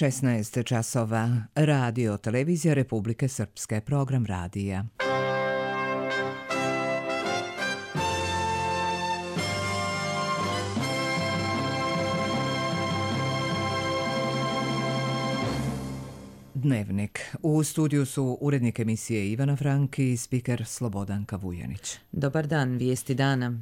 16 časova. Radio Televizija Republike Srpske. Program radija. Dnevnik. U studiju su urednik emisije Ivana Frank i spiker Slobodanka Vujanić. Dobar dan, vijesti dana.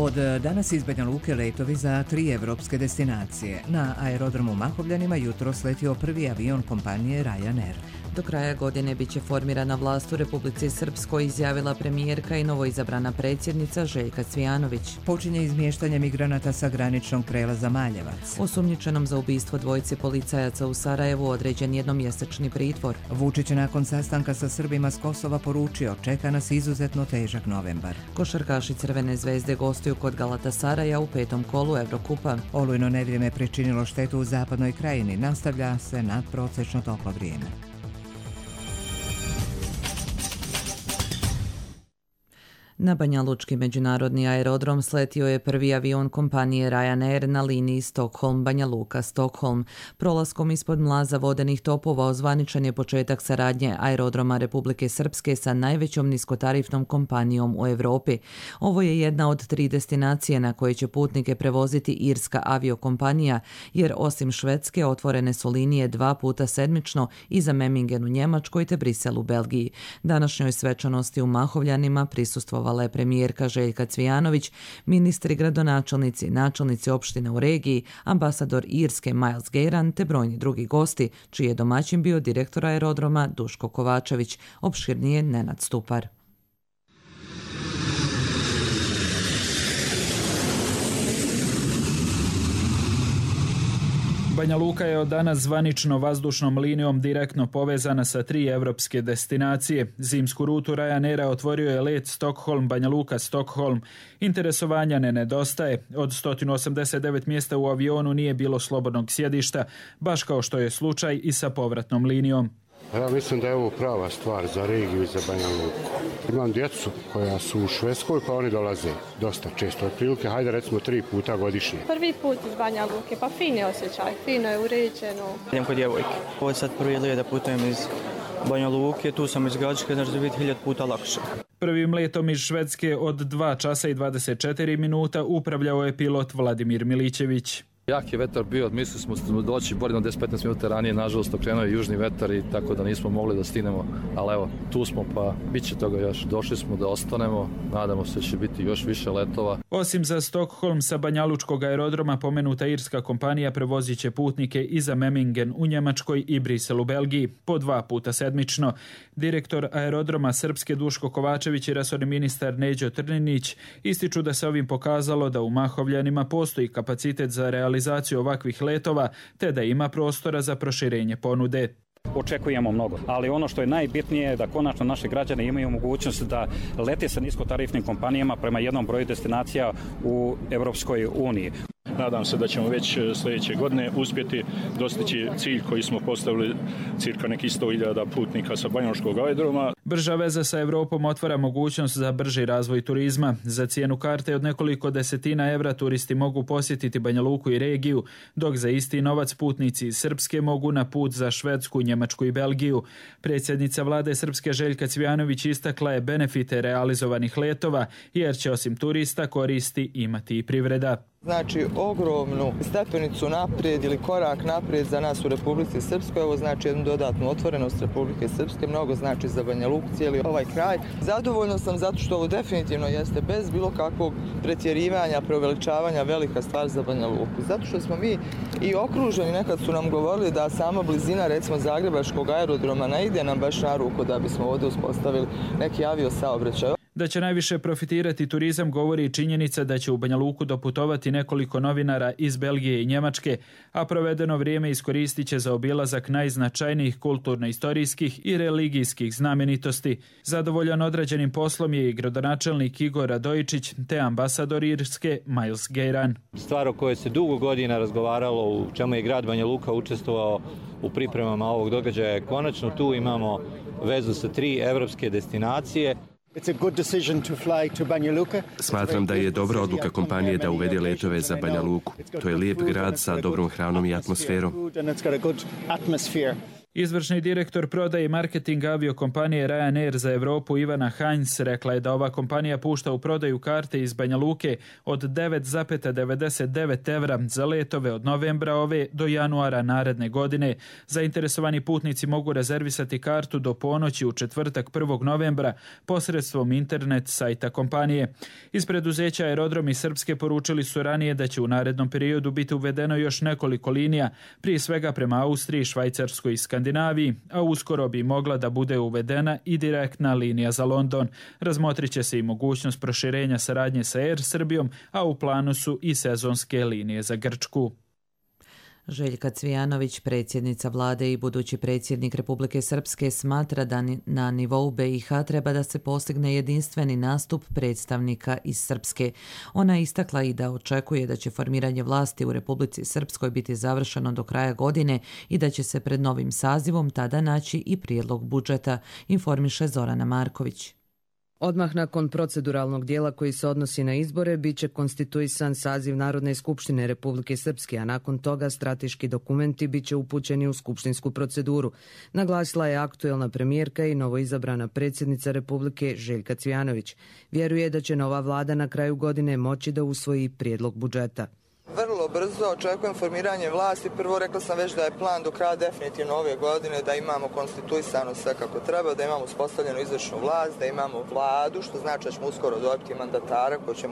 Od danas iz Banja Luke letovi za 3 evropske destinacije. Na aerodromu Mahovljanima jutro sletio prvi avion kompanije Ryanair. Do kraja godine bit će formirana vlast u Republici Srpskoj, izjavila premijerka i novoizabrana predsjednica Željka Cvijanović. Počinje izmještanje migranata sa graničnog prelaza Maljevac. Osumnjičenom za ubistvo dvojice policajaca u Sarajevu određen jednomjesečni pritvor. Vučić je nakon sastanka sa Srbima s Kosova poručio: čeka nas izuzetno težak novembar. Košarkaši Crvene zvezde gostuju kod Galatasaraja u 5. kolu Evrokupa. Olujno nevrijeme pričinilo štetu u zapadnoj krajini. Nastavlja se nadprosečno toplo vrijeme. Na banjalučki međunarodni aerodrom sletio je prvi avion kompanije Ryanair na liniji Stockholm-Banja Luka-Stockholm. Prolaskom ispod mlaza vodenih topova ozvaničen je početak saradnje aerodroma Republike Srpske sa najvećom niskotarifnom kompanijom u Europi. Ovo je jedna od 3 destinacije na koje će putnike prevoziti irska aviokompanija, jer osim Švedske otvorene su linije 2 puta sedmično i za Memmingen u Njemačkoj te Brisel u Belgiji. Današnjoj svečanosti u Mahovljanima prisustvovali je premijerka Željka Cvijanović, ministri, gradonačelnici, načelnici opština u regiji, ambasador Irske Miles Gejran te brojni drugi gosti, čiji je domaćin bio direktor aerodroma Duško Kovačević, opširnije Nenad Stupar. Banja Luka je od danas zvanično vazdušnom linijom direktno povezana sa 3 evropske destinacije. Zimsku rutu Ryanaira otvorio je let Stockholm-Banja Luka-Stockholm. Interesovanja ne nedostaje. Od 189 mjesta u avionu nije bilo slobodnog sjedišta, baš kao što je slučaj i sa povratnom linijom. Ja mislim da je ovo prava stvar za regiju i za Banja Luku. Imam djecu koja su u Švedskoj, pa oni dolaze dosta često. Otprilike, hajde recimo 3 puta godišnje. Prvi put iz Banja Luke, pa fin je osjećaj, fino je uređeno. Idem kod djevojke. Ovo je sad prvi let da putujem iz Banja Luke, tu sam iz Gradiške, znači da biti 1000 puta lakše. Prvim letom iz Švedske od 2 časa i 24 minuta upravljao je pilot Vladimir Milićević. Jak je vetar bio, mislili smo doći bolje 10-15 minuta ranije, nažalost okrenuo je južni vetar i tako da nismo mogli da stignemo, ali evo, tu smo pa bit će toga još. Došli smo da ostanemo, nadamo se da će biti još više letova. Osim za Stockholm sa banjalučkog aerodroma, pomenuta irska kompanija prevozit će putnike i za Memmingen u Njemačkoj i Brisel u Belgiji, po 2 puta sedmično. Direktor aerodroma Srpske Duško Kovačević i resorni ministar Neđo Trninić ističu da se ovim pokazalo da u Mahovljanima postoji kapacitet za realizaciju ovakvih letova, te da ima prostora za proširenje ponude. Očekujemo mnogo, ali ono što je najbitnije je da konačno naši građani imaju mogućnost da lete sa niskotarifnim kompanijama prema jednom broju destinacija u Europskoj uniji. Nadam se da ćemo već sljedeće godine uspjeti dostići cilj koji smo postavili, cirka nekih 100.000 putnika sa banjalučkog aerodroma. Brža veza sa Europom otvara mogućnost za brži razvoj turizma. Za cijenu karte od nekoliko desetina evra turisti mogu posjetiti Banja Luku i regiju, dok za isti novac putnici iz Srpske mogu na put za Švedsku, Njemačku i Belgiju. Predsjednica vlade Srpske Željka Cvijanović istakla je benefite realizovanih letova, jer će osim turista koristi imati i privreda. Znači ogromnu stepenicu naprijed ili korak naprijed za nas u Republici Srpskoj. Ovo znači jednu dodatnu otvorenost Republike Srpske, mnogo znači za Banja Luku, cijeli ovaj kraj. Zadovoljno sam zato što ovo definitivno jeste bez bilo kakvog pretjerivanja, preuveličavanja velika stvar za Banja Luku. Zato što smo mi i okruženi, nekad su nam govorili da sama blizina recimo Zagrebačkog aerodroma ne ide nam baš na ruku da bismo ovdje uspostavili neki aviosaobraćaj. Da će najviše profitirati turizam govori i činjenica da će u Banja Luku doputovati nekoliko novinara iz Belgije i Njemačke, a provedeno vrijeme iskoristit će za obilazak najznačajnijih kulturno-istorijskih i religijskih znamenitosti. Zadovoljan odrađenim poslom je i gradonačelnik Igor Radojičić te ambasador Irske Miles Gejran. Stvar o kojoj se dugo godina razgovaralo, u čemu je grad Banja Luka učestvovao u pripremama ovog događaja, konačno tu imamo vezu sa 3 evropske destinacije. Smatram da je dobra odluka kompanije da uvede letove za Banja Luku. To je lijep grad sa dobrom hranom i atmosferom. Izvršni direktor prodaje i marketinga aviokompanije Ryanair za Europu Ivana Heinz rekla je da ova kompanija pušta u prodaju karte iz Banja Luke od 9,99 evra za letove od novembra ove do januara naredne godine. Zainteresovani putnici mogu rezervisati kartu do ponoći u četvrtak 1. novembra posredstvom internet sajta kompanije. Iz preduzeća Aerodromi Srpske poručili su ranije da će u narednom periodu biti uvedeno još nekoliko linija, prije svega prema Austriji, Švajcarskoj i Skandinaviji, a uskoro bi mogla da bude uvedena i direktna linija za London. Razmotrit će se i mogućnost proširenja saradnje sa Air Srbijom, a u planu su i sezonske linije za Grčku. Željka Cvijanović, predsjednica vlade i budući predsjednik Republike Srpske, smatra da na nivou BiH treba da se postigne jedinstveni nastup predstavnika iz Srpske. Ona je istakla i da očekuje da će formiranje vlasti u Republici Srpskoj biti završeno do kraja godine i da će se pred novim sazivom tada naći i prijedlog budžeta, informiše Zorana Marković. Odmah nakon proceduralnog dijela koji se odnosi na izbore, bit će konstituisan saziv Narodne skupštine Republike Srpske, a nakon toga strateški dokumenti bit će upućeni u skupštinsku proceduru. Naglasila je aktuelna premijerka i novoizabrana predsjednica Republike Željka Cvijanović. Vjeruje da će nova vlada na kraju godine moći da usvoji prijedlog budžeta. Vrlo brzo očekujem formiranje vlasti. Prvo rekla sam već da je plan do kraja definitivno ove godine da imamo konstituisano sve kako treba, da imamo uspostavljenu izvršnu vlast, da imamo vladu, što znači da ćemo uskoro dobiti mandatara koji će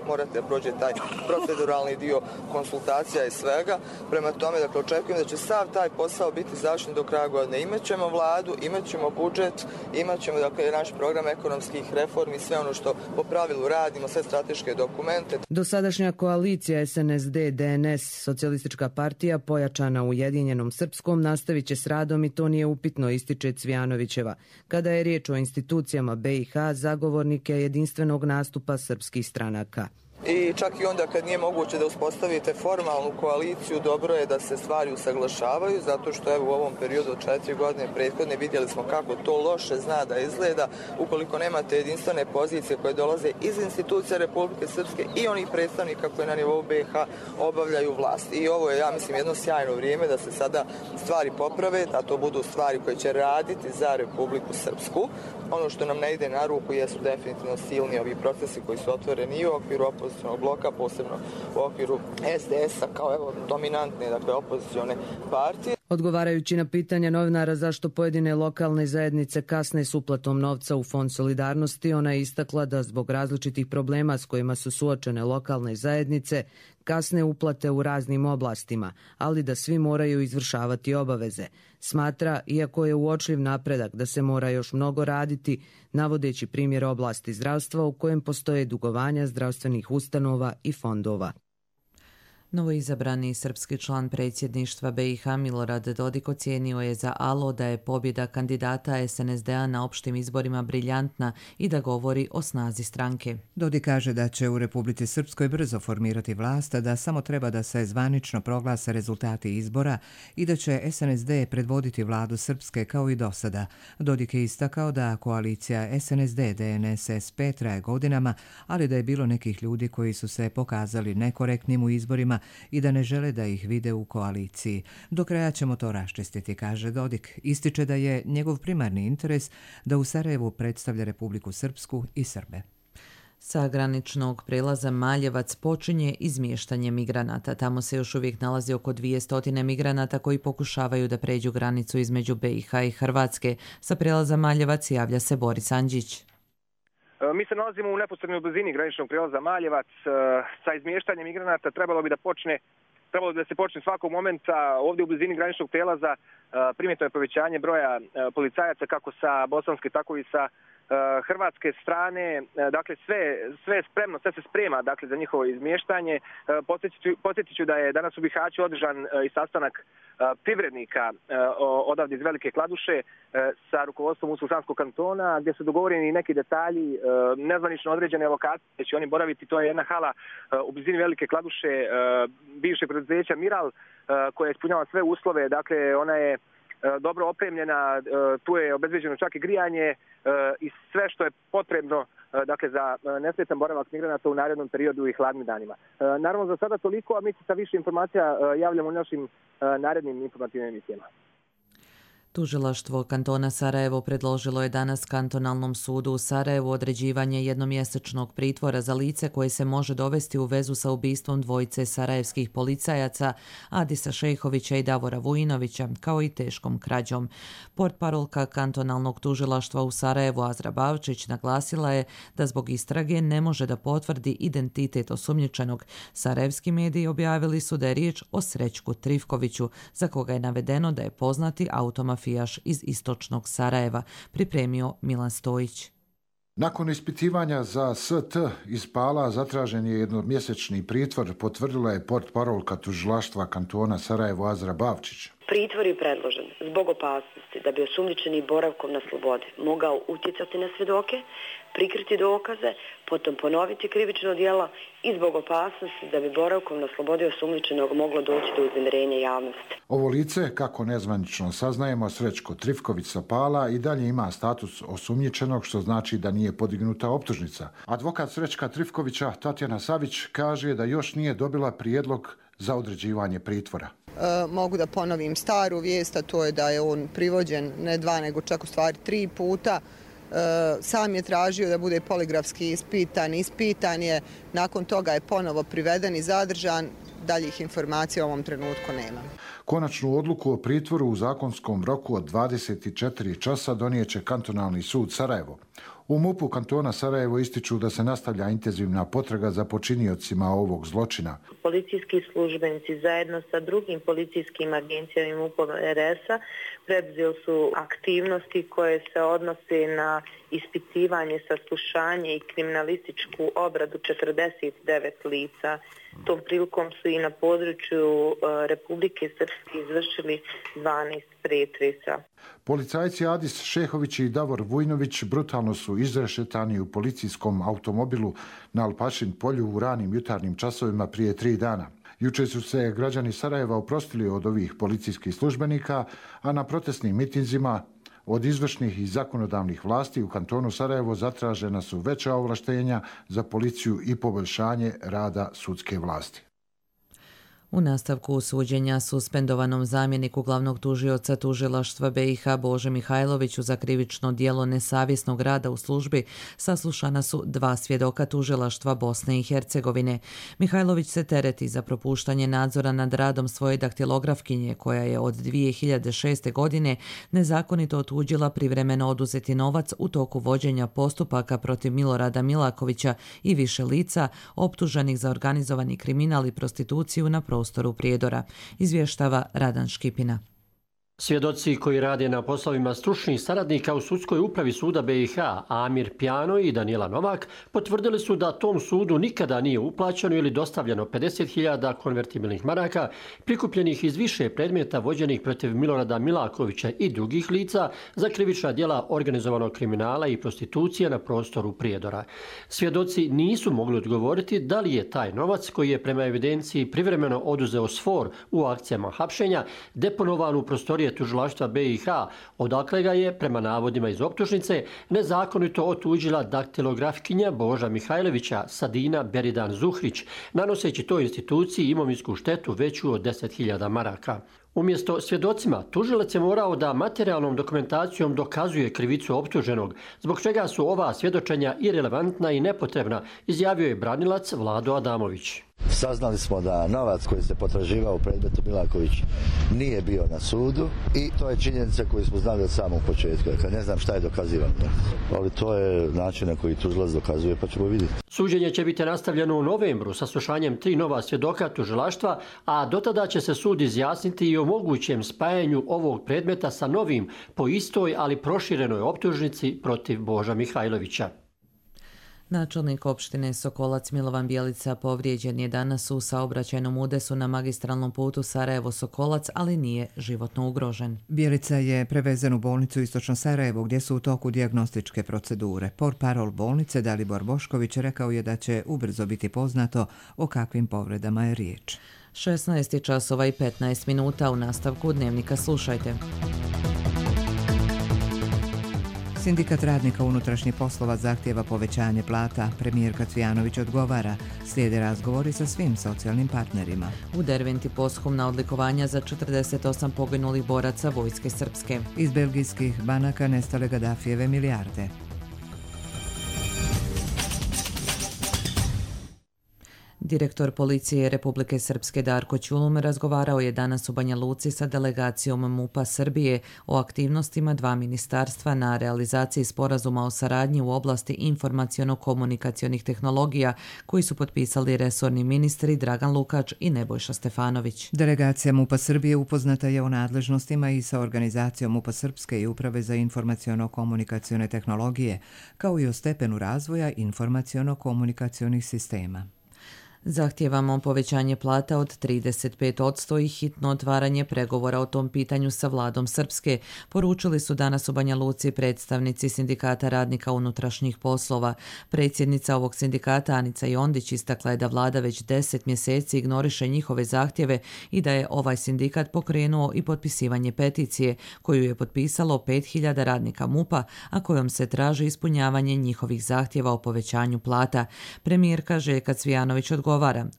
morati da prođe taj proceduralni dio konsultacija i svega. Prema tome, dakle, očekujem da će sav taj posao biti završen do kraja godine. Imaćemo vladu, imaćemo budžet, imaćemo dakle naš program ekonomskih reformi, sve ono što po pravilu radimo, sve strateške dokumente. Dosadašnja koalicija SNSD, DNS, Socijalistička partija, pojačana Ujedinjenom Srpskom, nastavit će s radom i to nije upitno, ističe Cvijanovićeva. Kada je riječ o institucijama BiH, zagovornike jedinstvenog nastupa srpskih stranaka. I čak i onda kad nije moguće da uspostavite formalnu koaliciju, dobro je da se stvari usaglašavaju, zato što evo u ovom periodu od 4 godine prethodne vidjeli smo kako to loše zna da izgleda ukoliko nemate jedinstvene pozicije koje dolaze iz institucija Republike Srpske i onih predstavnika koji na nivou BiH obavljaju vlast. I ovo je, ja mislim, jedno sjajno vrijeme da se sada stvari poprave, da to budu stvari koje će raditi za Republiku Srpsku. Ono što nam ne ide na ruku jesu definitivno silni ovi procesi koji su otvoreni i u okviru opozicionog bloka, posebno u okviru SDS-a kao evo dominantne, dakle, opozicione partije. Odgovarajući na pitanja novinara zašto pojedine lokalne zajednice kasne s uplatom novca u Fond solidarnosti, ona je istakla da zbog različitih problema s kojima su suočene lokalne zajednice kasne uplate u raznim oblastima, ali da svi moraju izvršavati obaveze. Smatra, iako je uočljiv napredak, da se mora još mnogo raditi, navodeći primjer oblasti zdravstva u kojem postoje dugovanja zdravstvenih ustanova i fondova. Novoizabrani srpski član predsjedništva BiH Milorad Dodik ocijenio je za ALO da je pobjeda kandidata SNSD-a na opštim izborima briljantna i da govori o snazi stranke. Dodik kaže da će u Republici Srpskoj brzo formirati vlast, da samo treba da se zvanično proglase rezultati izbora i da će SNSD predvoditi vladu Srpske kao i do sada. Dodik je istakao da koalicija SNSD-DNSSP traje godinama, ali da je bilo nekih ljudi koji su se pokazali nekorektnim u izborima i da ne žele da ih vide u koaliciji. Do kraja ćemo to raščistiti, kaže Dodik. Ističe da je njegov primarni interes da u Sarajevu predstavlja Republiku Srpsku i Srbe. Sa graničnog prelaza Maljevac počinje izmještanje migranata. Tamo se još uvijek nalazi oko 200 migranata koji pokušavaju da pređu granicu između BiH i Hrvatske. Sa prelaza Maljevac javlja se Boris Andžić. Mi se nalazimo u neposrednoj blizini graničnog prijelaza Maljevac. Sa izmještanjem migranata trebalo bi da se počne svakog momenta. Ovdje u blizini graničnog prijelaza primjetno je povećanje broja policajaca kako sa bosanske tako i sa hrvatske strane. Dakle, sve je spremno, sve se sprema dakle, za njihovo izmještanje. Podsjetit ću da je danas u Bihaću održan i sastanak privrednika odavde iz Velike Kladuše sa rukovodstvom Muslimanskog kantona, gdje su dogovoreni neki detalji, nezvanično određene lokacije, gdje će oni boraviti. To je jedna hala u blizini Velike Kladuše bivšeg preduzeća Miral, koja ispunjava sve uslove. Dakle, ona je dobro opremljena, tu je obezbeđeno čak i grijanje i sve što je potrebno dakle, za nesmetan boravak migranata u narednom periodu i hladnim danima. Naravno, za sada toliko, a mi se sa više informacija javljamo u našim narednim informativnim emisijama. Tužilaštvo kantona Sarajevo predložilo je danas kantonalnom sudu u Sarajevu određivanje jednomjesečnog pritvora za lice koje se može dovesti u vezu sa ubistvom dvojice sarajevskih policajaca Adisa Šejhovića i Davora Vujinovića, kao i teškom krađom. Portparolka kantonalnog tužilaštva u Sarajevu Azra Bavčić naglasila je da zbog istrage ne može da potvrdi identitet osumnjičenog. Sarajevski mediji objavili su da je riječ o Srećku Trifkoviću, za koga je navedeno da je poznati automafijaš iz istočnog Sarajeva, pripremio Milan Stojić. Nakon ispitivanja za ST iz Pala zatražen je jednomjesečni pritvor, potvrdila je portparolka tužilaštva kantona Sarajevo Azra Bavčić. Pritvor je predložen zbog opasnosti da bi osumnjičeni boravkom na slobodi mogao utjecati na svjedoke, prikriti dokaze, potom ponoviti krivično djelo i zbog opasnosti da bi boravkom na slobodi osumnjičenog moglo doći do uznemirenja javnosti. Ovo lice, kako nezvanično saznajemo, Srećko Trifković sa Pala i dalje ima status osumnjičenog, što znači da nije podignuta optužnica. Advokat Srećka Trifkovića Tatjana Savić kaže da još nije dobila prijedlog za određivanje pritvora. Mogu da ponovim staru vijest, a to je da je on privođen ne 2 nego čak u stvari 3 puta. Sam je tražio da bude poligrafski ispitan je, nakon toga je ponovo priveden i zadržan. Daljih informacija u ovom trenutku nema. Konačnu odluku o pritvoru u zakonskom roku od 24 časa donijeće kantonalni sud Sarajevo. U MUP-u kantona Sarajevo ističu da se nastavlja intenzivna potraga za počiniocima ovog zločina. Policijski službenici zajedno sa drugim policijskim agencijama i MUP-om RS-a preduzeli su aktivnosti koje se odnose na ispitivanje, saslušanje i kriminalističku obradu 49 lica. Tom prilikom su i na području Republike Srpske izvršili 12 pretresa. Policajci Adis Šejhović i Davor Vujinović brutalno su izrešetani u policijskom automobilu na Alpašin polju u ranim jutarnjim časovima prije 3 dana. Juče su se građani Sarajeva oprostili od ovih policijskih službenika, a na protestnim mitinzima od izvršnih i zakonodavnih vlasti u kantonu Sarajevo zatražena su veća ovlaštenja za policiju i poboljšanje rada sudske vlasti. U nastavku suđenja suspendovanom zamjeniku glavnog tužioca tužilaštva BiH Bože Mihajloviću za krivično djelo nesavjesnog rada u službi saslušana su 2 svjedoka tužilaštva Bosne i Hercegovine. Mihajlović se tereti za propuštanje nadzora nad radom svoje daktilografkinje koja je od 2006. godine nezakonito otuđila privremeno oduzeti novac u toku vođenja postupaka protiv Milorada Milakovića i više lica optuženih za organizovani kriminal i prostituciju na prostoru Prijedora, izvještava Radan Škipina. Svjedoci koji rade na poslovima stručnih saradnika u sudskoj upravi suda BiH, Amir Pjano i Danijela Novak, potvrdili su da tom sudu nikada nije uplaćeno ili dostavljeno 50.000 konvertibilnih maraka prikupljenih iz više predmeta vođenih protiv Milorada Milakovića i drugih lica za krivična djela organizovanog kriminala i prostitucije na prostoru Prijedora. Svjedoci nisu mogli odgovoriti da li je taj novac, koji je prema evidenciji privremeno oduzeo SFOR u akcijama hapšenja, deponovan u prostorije tužilaštva BiH, odakle ga je, prema navodima iz optužnice, nezakonito otuđila daktilografkinja Boža Mihajlovića Sadina Beridan Zuhrić, nanoseći toj instituciji imovinsku štetu veću od 10.000 maraka. Umjesto svjedocima, tužilac je morao da materijalnom dokumentacijom dokazuje krivicu optuženog, zbog čega su ova svjedočenja irelevantna i nepotrebna, izjavio je branilac Vlado Adamović. Saznali smo da novac koji se potraživao u predmetu Milaković nije bio na sudu i to je činjenica koju smo znali od samog početka. Ne znam šta je dokazivano, ali to je način na koji tužilac dokazuje, pa ćemo vidjeti. Suđenje će biti nastavljeno u novembru sa slušanjem 3 nova svjedoka tužilaštva, a dotada će se sud izjasniti i o mogućem spajanju ovog predmeta sa novim po istoj, ali proširenoj optužnici protiv Boža Mihajlovića. Načelnik opštine Sokolac Milovan Bjelica povrijeđen je danas u saobraćajnom udesu na magistralnom putu Sarajevo-Sokolac, ali nije životno ugrožen. Bjelica je prevezen u bolnicu u Istočno Sarajevo gdje su u toku dijagnostičke procedure. Portparol bolnice Dalibor Bošković rekao je da će ubrzo biti poznato o kakvim povredama je riječ. 16 časova i 15 minuta. U nastavku dnevnika slušajte. Sindikat radnika unutrašnjih poslova zahtijeva povećanje plata. Premijerka Cvijanović odgovara. Slijede razgovori sa svim socijalnim partnerima. U Derventi posthumna odlikovanja za 48 poginulih boraca vojske srpske. Iz belgijskih banaka nestale Gadafijeve milijarde. Direktor policije Republike Srpske Darko Ćulum razgovarao je danas u Banja Luci sa delegacijom MUP-a Srbije o aktivnostima dva ministarstva na realizaciji sporazuma o saradnji u oblasti informaciono-komunikacionih tehnologija koji su potpisali resorni ministri Dragan Lukač i Nebojša Stefanović. Delegacija MUP-a Srbije upoznata je o nadležnostima i sa organizacijom MUP-a Srpske i Uprave za informaciono-komunikacione tehnologije, kao i o stepenu razvoja informaciono-komunikacionih sistema. Zahtijevamo povećanje plata od 35% i hitno otvaranje pregovora o tom pitanju sa vladom Srpske, poručili su danas u Banja Luci predstavnici Sindikata radnika unutrašnjih poslova. Predsjednica ovog sindikata Anica Jondić istakla je da vlada već 10 mjeseci ignoriše njihove zahtjeve i da je ovaj sindikat pokrenuo i potpisivanje peticije koju je potpisalo 5000 radnika MUP-a, a kojom se traži ispunjavanje njihovih zahtjeva o povećanju plata. Premijerka Željka Cvijanović odgovara.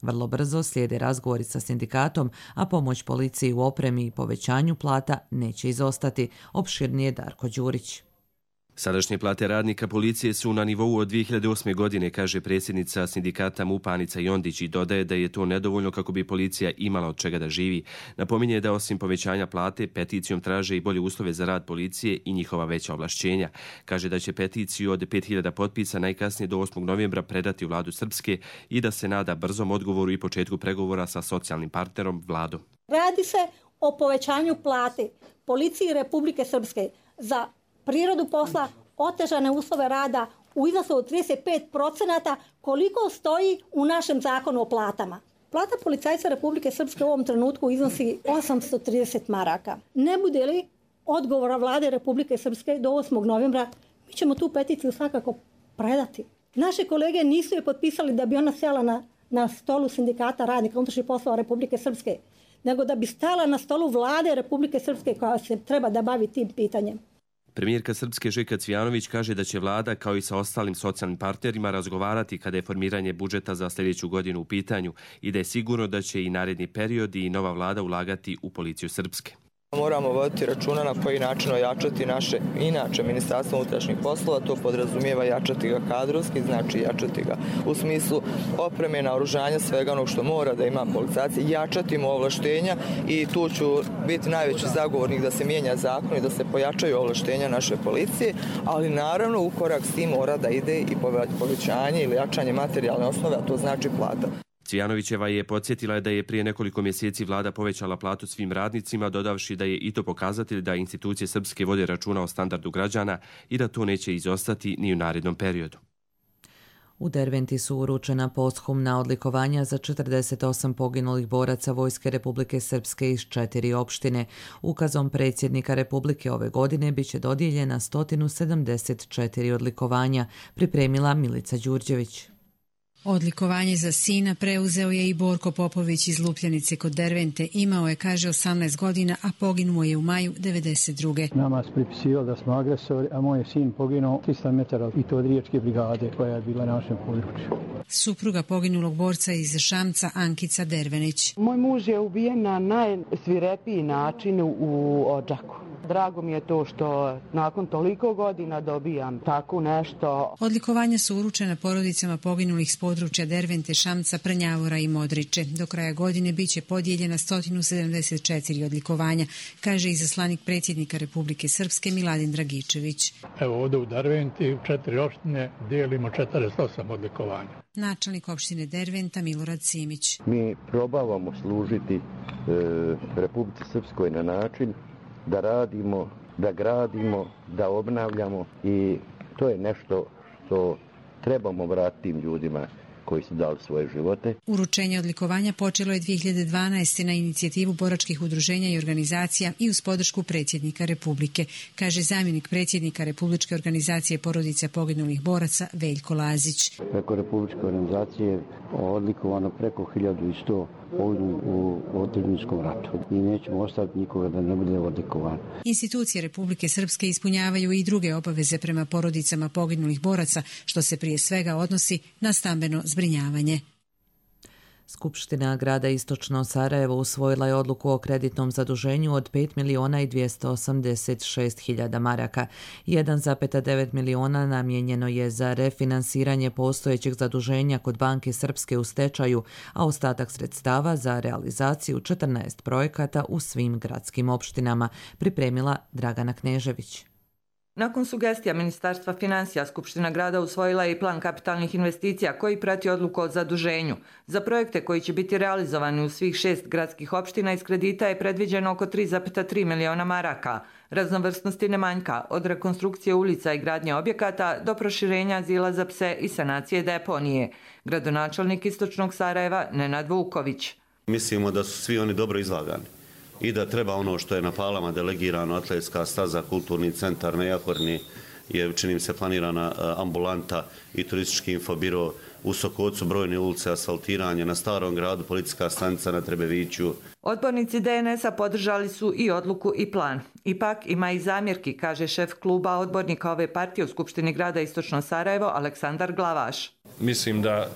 Vrlo brzo slijede razgovori sa sindikatom, a pomoć policiji u opremi i povećanju plata neće izostati. Opširnije Darko Đurić. Sadašnje plate radnika policije su na nivou od 2008. godine, kaže predsjednica sindikata MUP-a Anica Jondić i dodaje da je to nedovoljno kako bi policija imala od čega da živi. Napominje da osim povećanja plate, peticijom traže i bolje uslove za rad policije i njihova veća ovlašćenja. Kaže da će peticiju od 5000 potpisa najkasnije do 8. novembra predati u vladu Srpske i da se nada brzom odgovoru i početku pregovora sa socijalnim partnerom vladom. Radi se o povećanju plate policiji Republike Srpske za prirodu posla, otežane uslove rada u iznosu od 35%, koliko stoji u našem zakonu o platama. Plata policajca Republike Srpske u ovom trenutku iznosi 830 maraka. Ne bude li odgovora vlade Republike Srpske do 8. novembra, mi ćemo tu peticiju svakako predati. Naše kolege nisu je potpisali da bi ona sjela na stolu sindikata radnika unutrašnjih poslova Republike Srpske, nego da bi stala na stolu vlade Republike Srpske koja se treba da bavi tim pitanjem. Premijerka Srpske Željka Cvijanović kaže da će vlada kao i sa ostalim socijalnim partnerima razgovarati kada je formiranje budžeta za sljedeću godinu u pitanju i da je sigurno da će i naredni period i nova vlada ulagati u policiju Srpske. Moramo voditi računa na koji način ojačati naše inače Ministarstvo unutrašnjih poslova, to podrazumijeva jačati ga kadrovski, znači jačati ga u smislu opreme, naoružanja, svega onog što mora da ima policajac, jačati mu ovlaštenja i tu ću biti najveći zagovornik da se mijenja zakon i da se pojačaju ovlaštenja naše policije, ali naravno u korak s tim mora da ide i povećanje ili jačanje materijalne osnove, a to znači plata. Cvijanovićeva je podsjetila da je prije nekoliko mjeseci vlada povećala platu svim radnicima, dodavši da je i to pokazatelj da institucije Srpske vode računa o standardu građana i da to neće izostati ni u narednom periodu. U Derventi su uručena posthumna odlikovanja za 48 poginulih boraca Vojske Republike Srpske iz 4 opštine. Ukazom predsjednika Republike ove godine biće dodijeljena 174 odlikovanja, pripremila Milica Đurđević. Odlikovanje za sina preuzeo je i Borko Popović iz Lupljanice kod Dervente. Imao je, kaže, 18 godina, a poginuo je u maju 92. Nama se pripisivalo da smo agresori, a moj sin poginuo 300 metara i to od Riječke brigade koja je bila na našem području. Supruga poginulog borca iz Šamca, Ankica Dervenić. Moj muž je ubijen na najsvirepiji način u Odžaku. Drago mi je to što nakon toliko godina dobijam tako nešto. Odlikovanja su uručena porodicama poginulih s područja Dervente, Šamca, Prnjavora i Modriče. Do kraja godine biće podijeljena 174 odlikovanja, kaže izaslanik predsjednika Republike Srpske Miladin Dragičević. Evo ovdje u Derventi u 4 opštine dijelimo 48 odlikovanja. Načelnik opštine Derventa Milorad Simić. Mi probavamo služiti Republici Srpskoj na način da radimo, da gradimo, da obnavljamo i to je nešto što trebamo vratiti tim ljudima koji su dali svoje živote. Uručenje odlikovanja počelo je 2012. na inicijativu boračkih udruženja i organizacija i uz podršku predsjednika Republike, kaže zamjenik predsjednika Republičke organizacije porodica poginulih boraca Veljko Lazić. Preko Republičke organizacije odlikovano preko 1100 poginuo u otadžbinačkom ratu i nećemo ostaviti nikoga da ne bude odlikovan. Institucije Republike Srpske ispunjavaju i druge obaveze prema porodicama poginulih boraca, što se prije svega odnosi na stambeno zbrinjavanje. Skupština grada Istočno Sarajevo usvojila je odluku o kreditnom zaduženju od 5.286.000 maraka. 1,9 miliona namijenjeno je za refinansiranje postojećeg zaduženja kod Banke Srpske u stečaju, a ostatak sredstava za realizaciju 14 projekata u svim gradskim opštinama, pripremila Dragana Knežević. Nakon sugestija Ministarstva financija, Skupština grada usvojila je i plan kapitalnih investicija koji prati odluku o zaduženju. Za projekte koji će biti realizovani u svih 6 gradskih opština iz kredita je predviđeno oko 3,3 miliona maraka. Raznovrsnosti ne manjka, od rekonstrukcije ulica i gradnje objekata do proširenja azila za pse i sanacije deponije. Gradonačelnik Istočnog Sarajeva Nenad Vuković. Mislimo da su svi oni dobro izlagani i da treba ono što je na Palama delegirano, atletska staza, kulturni centar, na Jahorni je, čini mi se, planirana ambulanta i turistički infobiro, u Sokocu brojne ulice, asfaltiranje, na Starom gradu policijska stanica na Trebeviću. Odbornici DNS-a podržali su i odluku i plan. Ipak ima i zamjerki, kaže šef kluba odbornika ove partije u Skupštini grada Istočno Sarajevo Aleksandar Glavaš. Mislim da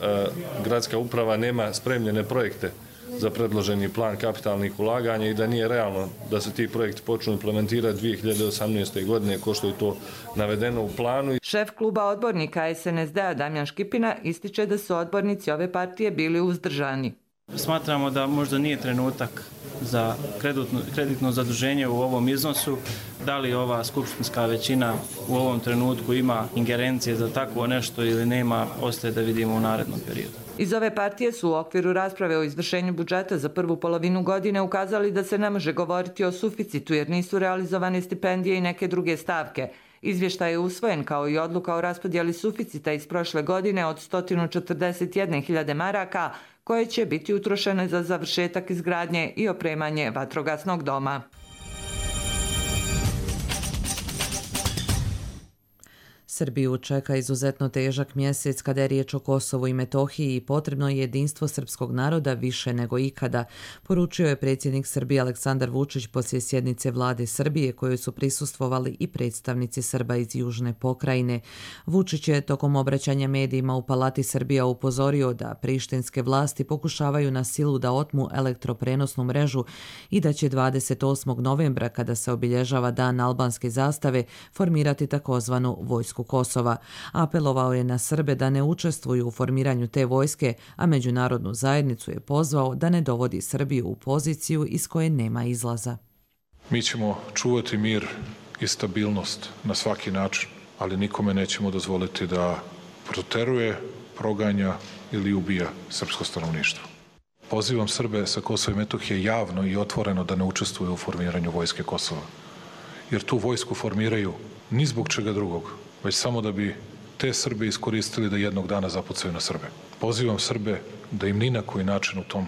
gradska uprava nema spremljene projekte za predloženi plan kapitalnih ulaganja i da nije realno da se ti projekti počnu implementirati 2018. godine, ko što je to navedeno u planu. Šef kluba odbornika SNSD-a Damjan Škipina ističe da su odbornici ove partije bili uzdržani. Smatramo da možda nije trenutak za kreditno zaduženje u ovom iznosu. Da li ova skupštinska većina u ovom trenutku ima ingerencije za takvo nešto ili nema, ostaje da vidimo u narednom periodu. Iz ove partije su u okviru rasprave o izvršenju budžeta za prvu polovinu godine ukazali da se ne može govoriti o suficitu jer nisu realizovane stipendije i neke druge stavke. Izvještaj je usvojen kao i odluka o raspodjeli suficita iz prošle godine od 141.000 maraka koje će biti utrošene za završetak izgradnje i opremanje vatrogasnog doma. Srbiju čeka izuzetno težak mjesec kada je riječ o Kosovu i Metohiji i potrebno je jedinstvo srpskog naroda više nego ikada, poručio je predsjednik Srbije Aleksandar Vučić poslije sjednice vlade Srbije kojoj su prisustvovali i predstavnici Srba iz Južne pokrajine. Vučić je tokom obraćanja medijima u Palati Srbija upozorio da prištinske vlasti pokušavaju na silu da otmu elektroprenosnu mrežu i da će 28. novembra, kada se obilježava Dan albanske zastave, formirati takozvanu vojsku Kosova. Apelovao je na Srbe da ne učestvuju u formiranju te vojske, a međunarodnu zajednicu je pozvao da ne dovodi Srbiju u poziciju iz koje nema izlaza. Mi ćemo čuvati mir i stabilnost na svaki način, ali nikome nećemo dozvoliti da proteruje, proganja ili ubija srpsko stanovništvo. Pozivam Srbe sa Kosova i Metohije javno i otvoreno da ne učestvuju u formiranju vojske Kosova, jer tu vojsku formiraju ni zbog čega drugog, već samo da bi te Srbe iskoristili da jednog dana zapucaju na Srbe. Pozivam Srbe da im ni na koji način u tom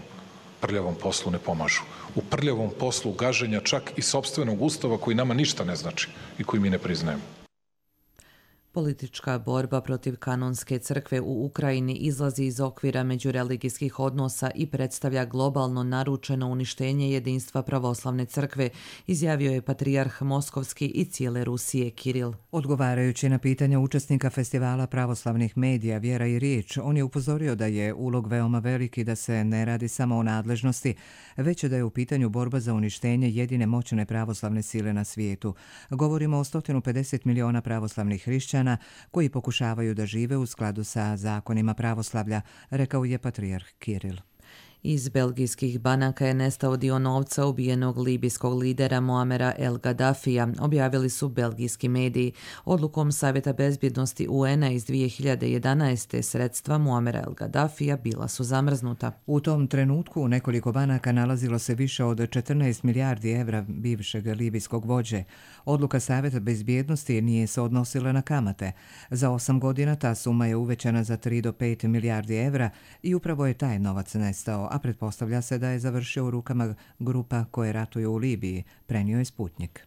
prljavom poslu ne pomažu. U prljavom poslu gaženja čak i sopstvenog ustava koji nama ništa ne znači i koji mi ne priznajemo. Politička borba protiv kanonske crkve u Ukrajini izlazi iz okvira međureligijskih odnosa i predstavlja globalno naručeno uništenje jedinstva pravoslavne crkve, izjavio je patrijarh Moskovski i cijele Rusije Kiril. Odgovarajući na pitanja učesnika festivala pravoslavnih medija Vjera i riječ, on je upozorio da je ulog veoma veliki, da se ne radi samo o nadležnosti, već da je u pitanju borba za uništenje jedine moćne pravoslavne sile na svijetu. Govorimo o 150 miliona pravoslavnih hrišćana koji pokušavaju da žive u skladu sa zakonima pravoslavlja, rekao je patrijarh Kiril. Iz belgijskih banaka je nestao dio novca ubijenog libijskog lidera Muamera El Gaddafija, objavili su belgijski mediji. Odlukom Savjeta bezbjednosti UN-a iz 2011. sredstva Muamera El Gaddafija bila su zamrznuta. U tom trenutku u nekoliko banaka nalazilo se više od 14 milijardi evra bivšeg libijskog vođe. Odluka Savjeta bezbjednosti nije se odnosila na kamate. Za 8 godina ta suma je uvećana za 3 do 5 milijardi evra i upravo je taj novac nestao, a pretpostavlja se da je završio u rukama grupa koje ratuju u Libiji, prenio je Sputnik.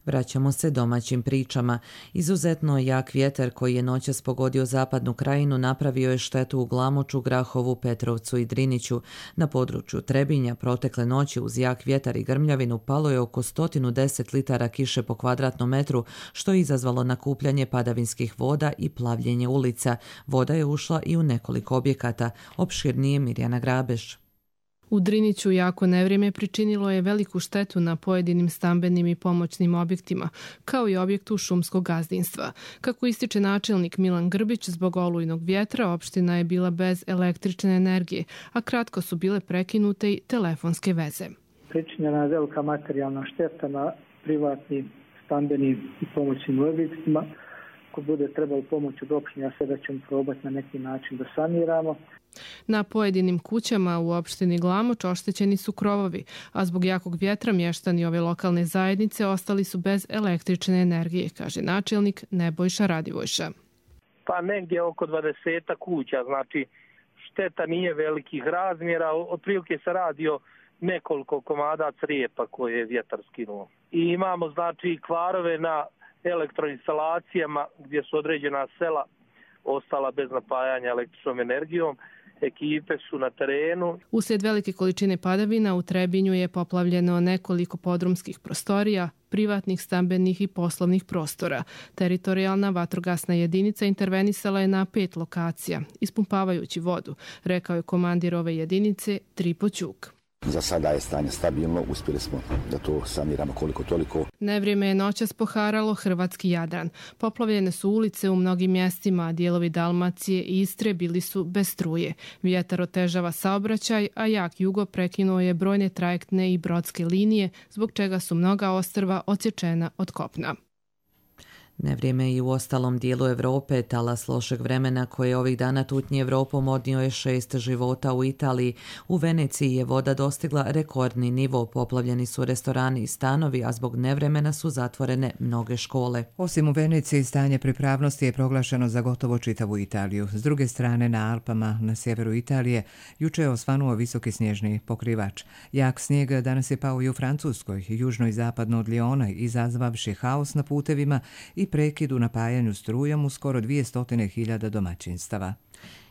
Vraćamo se domaćim pričama. Izuzetno jak vjetar koji je noćas pogodio zapadnu krajinu napravio je štetu u Glamoču, Grahovu, Petrovcu i Driniću. Na području Trebinja protekle noći uz jak vjetar i grmljavinu palo je oko 110 litara kiše po kvadratnom metru, što je izazvalo nakupljanje padavinskih voda i plavljenje ulica. Voda je ušla i u nekoliko objekata. Opširnije Mirjana Grabeš. U Driniću jako nevrijeme pričinilo je veliku štetu na pojedinim stambenim i pomoćnim objektima, kao i objektu šumskog gazdinstva. Kako ističe načelnik Milan Grbić, zbog olujnog vjetra opština je bila bez električne energije, a kratko su bile prekinute i telefonske veze. Pričinjena je velika materijalna šteta na privatnim, stambenim i pomoćnim objektima. Ako bude trebalo pomoć od opštine, sada ćemo probati na neki način da saniramo. Na pojedinim kućama u opštini Glamoč oštećeni su krovovi, a zbog jakog vjetra mještani ove lokalne zajednice ostali su bez električne energije, kaže načelnik Nebojša Radivojša. Pa negdje oko 20 kuća, znači šteta nije velikih razmjera, otprilike se radi o nekoliko komada crijepa koje je vjetar skinuo. I imamo znači kvarove na elektroinstalacijama gdje su određena sela ostala bez napajanja električnom energijom. Ekipe su na terenu. Uslijed velike količine padavina u Trebinju je poplavljeno nekoliko podrumskih prostorija, privatnih, stambenih i poslovnih prostora. Teritorijalna vatrogasna jedinica intervenisala je na 5 lokacija, ispumpavajući vodu, rekao je komandir ove jedinice Tripo Ćuk. Za sada je stanje stabilno, uspjeli smo da to saniramo koliko toliko. Nevrijeme je noćas poharalo hrvatski Jadran. Poplavljene su ulice u mnogim mjestima, a dijelovi Dalmacije i Istre bili su bez struje. Vjetar otežava saobraćaj, a jak jugo prekinuo je brojne trajektne i brodske linije, zbog čega su mnoga ostrva odsječena od kopna. Nevrijeme i u ostalom dijelu Europe. Talas lošeg vremena koje ovih dana tutnji Europom odnio je 6 života u Italiji. U Veneciji je voda dostigla rekordni nivo. Poplavljeni su restorani i stanovi, a zbog nevremena su zatvorene mnoge škole. Osim u Veneciji, stanje pripravnosti je proglašeno za gotovo čitavu Italiju. S druge strane, na Alpama, na sjeveru Italije, juče je osvanuo visoki snježni pokrivač. Jak snijeg danas je pao i u Francuskoj, južno i zapadno od Liona, izazvavši haos na putevima i prekid u napajanju strujom u skoro 200.000 domaćinstava.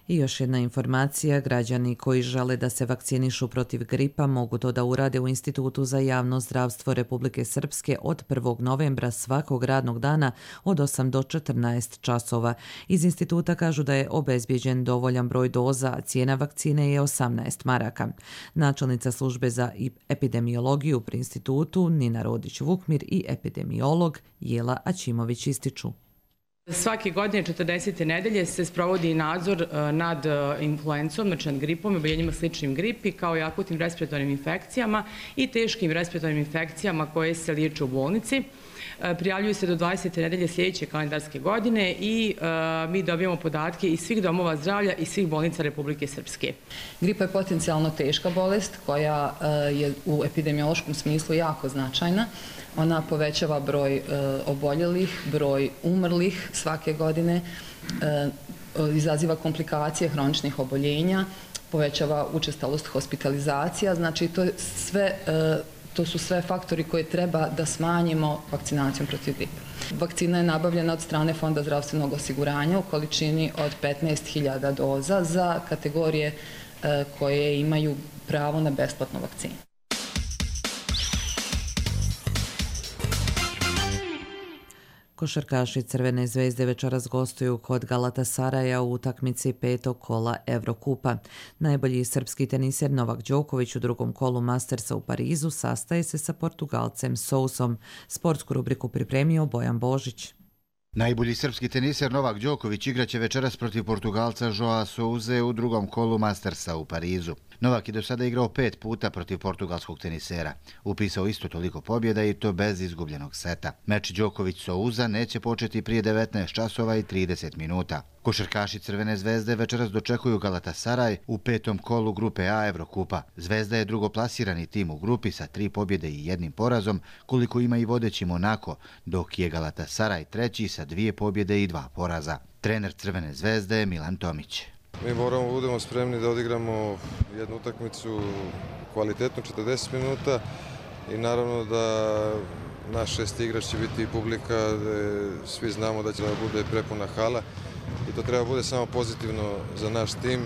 I još jedna informacija, građani koji žele da se vakcinišu protiv gripa mogu to da urade u Institutu za javno zdravstvo Republike Srpske od 1. novembra svakog radnog dana od 8 do 14 časova. Iz instituta kažu da je obezbijeđen dovoljan broj doza, a cijena vakcine je 18 maraka. Načelnica službe za epidemiologiju pri institutu Nina Rodić-Vukmir i epidemiolog Jela Aćimović ističu. Svake godine 40. nedelje se sprovodi nadzor nad influencom, znači nad gripom i oboljenjima sličnim gripi, kao i akutnim respiratornim infekcijama i teškim respiratornim infekcijama koje se liječe u bolnici. Prijavljuju se do 20. nedelje sljedeće kalendarske godine i mi dobijamo podatke iz svih domova zdravlja i svih bolnica Republike Srpske. Gripa je potencijalno teška bolest koja je u epidemiološkom smislu jako značajna. Ona povećava broj oboljelih, broj umrlih svake godine, izaziva komplikacije hroničnih oboljenja, povećava učestalost hospitalizacija, znači to su sve faktori koje treba da smanjimo vakcinacijom protiv gripe. Vakcina je nabavljena od strane Fonda zdravstvenog osiguranja u količini od 15.000 doza za kategorije koje imaju pravo na besplatnu vakcinu. Košarkaši Crvene zvezde večeras gostuju kod Galatasaraja u utakmici 5. kola Evrokupa. Najbolji srpski teniser Novak Đoković u drugom kolu Mastersa u Parizu sastaje se sa Portugalcem Sousom. Sportsku rubriku pripremio Bojan Božić. Najbolji srpski teniser Novak Đoković igraće večeras protiv Portugalca Joa Souze u drugom kolu Mastersa u Parizu. Novak je do sada igrao 5 puta protiv portugalskog tenisera. Upisao isto toliko pobjeda i to bez izgubljenog seta. Meč Đoković-Souza neće početi prije 19 časova i 30 minuta. Košarkaši Crvene zvezde večeras dočekuju Galatasaraj u 5. kolu grupe A Evrokupa. Zvezda je drugoplasirani tim u grupi sa 3 pobjede i 1 porazom, koliko ima i vodeći Monako, dok je Galatasaraj treći sa 2 pobjede i 2 poraza. Trener Crvene zvezde je Milan Tomić. Mi moramo budemo spremni da odigramo jednu utakmicu kvalitetnu 40 minuta i naravno da naš šesti igrač će biti publika, svi znamo da će da bude prepuna hala i to treba bude samo pozitivno za naš tim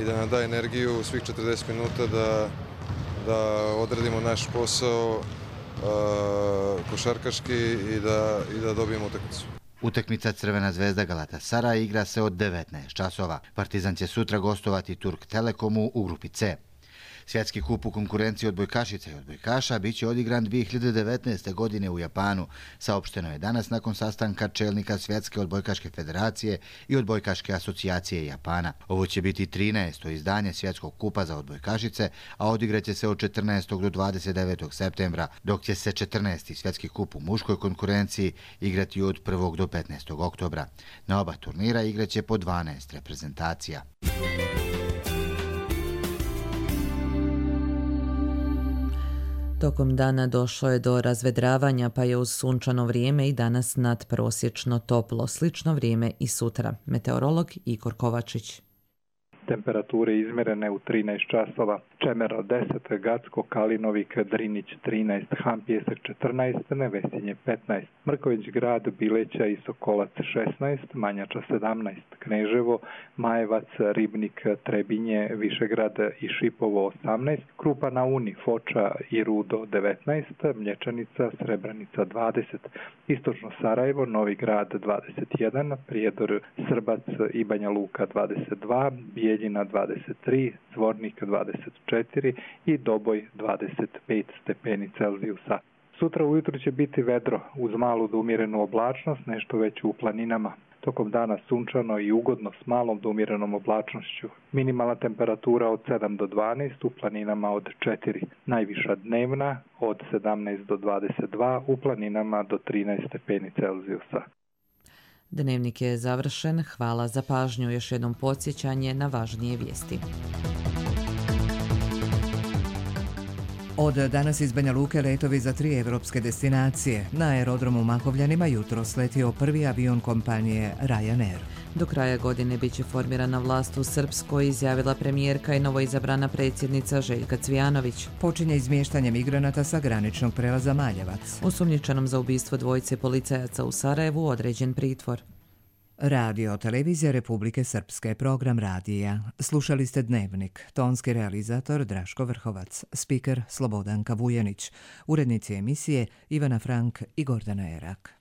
i da nam da energiju svih 40 minuta da odradimo naš posao košarkaški i da dobijemo utakmicu. Utakmica Crvena zvezda Galatasaray igra se od 19 časova. Partizan će sutra gostovati Turk Telekomu u grupi C. Svjetski kup u konkurenciji odbojkašica i odbojkaša bit će odigran 2019. godine u Japanu. Saopšteno je danas nakon sastanka čelnika Svjetske odbojkaške federacije i odbojkaške asocijacije Japana. Ovo će biti 13. izdanje Svjetskog kupa za odbojkašice, a odigraće se od 14. do 29. septembra, dok će se 14. Svjetski kup u muškoj konkurenciji igrati od 1. do 15. oktobra. Na oba turnira igraće po 12 reprezentacija. Tokom dana došlo je do razvedravanja, pa je uz sunčano vrijeme i danas nadprosječno toplo. Slično vrijeme i sutra. Meteorolog Igor Kovačić. Temperature izmjerene u 13 časova. Čemero 10, Gacko, Kalinovik, Drinić 13, Han Pjesak 14, Nevesinje 15, Mrković grad, Bileća i Sokolac 16, Manjača 17, Kneževo, Majevac, Ribnik, Trebinje, Višegrad i Šipovo 18, Krupa na Uni, Foča i Rudo 19, Mlječanica, Srebrenica 20, Istočno Sarajevo, Novi grad 21, Prijedor, Srbac i Banja Luka 22, Bijeljina 23, Zvornik 24 i Doboj 25 stepeni Celzijusa. Sutra ujutro će biti vedro uz malu do umjerenu oblačnost, nešto već u planinama. Tokom dana sunčano i ugodno s malom do umjerenom oblačnošću. Minimalna temperatura od 7 do 12, u planinama od 4. Najviša dnevna od 17 do 22, u planinama do 13 stepeni Celzijusa. Dnevnik je završen. Hvala za pažnju. Još jednom podsjećanje na važnije vijesti. Od danas iz Banja Luke letovi za 3 evropske destinacije. Na aerodromu Makovljanima jutro sletio prvi avion kompanije Ryanair. Do kraja godine bit će formirana vlast u Srpskoj, izjavila premijerka i novoizabrana predsjednica Željka Cvijanović. Počinje izmještanje migranata sa graničnog prelaza Maljevac. Osumnjičenom za ubistvo dvojice policajaca u Sarajevu određen pritvor. Radio Televizija Republike Srpske, program radija. Slušali ste Dnevnik, tonski realizator Draško Vrhovac, spiker Slobodanka Vujanić, urednici emisije Ivana Frank i Gordana Erak.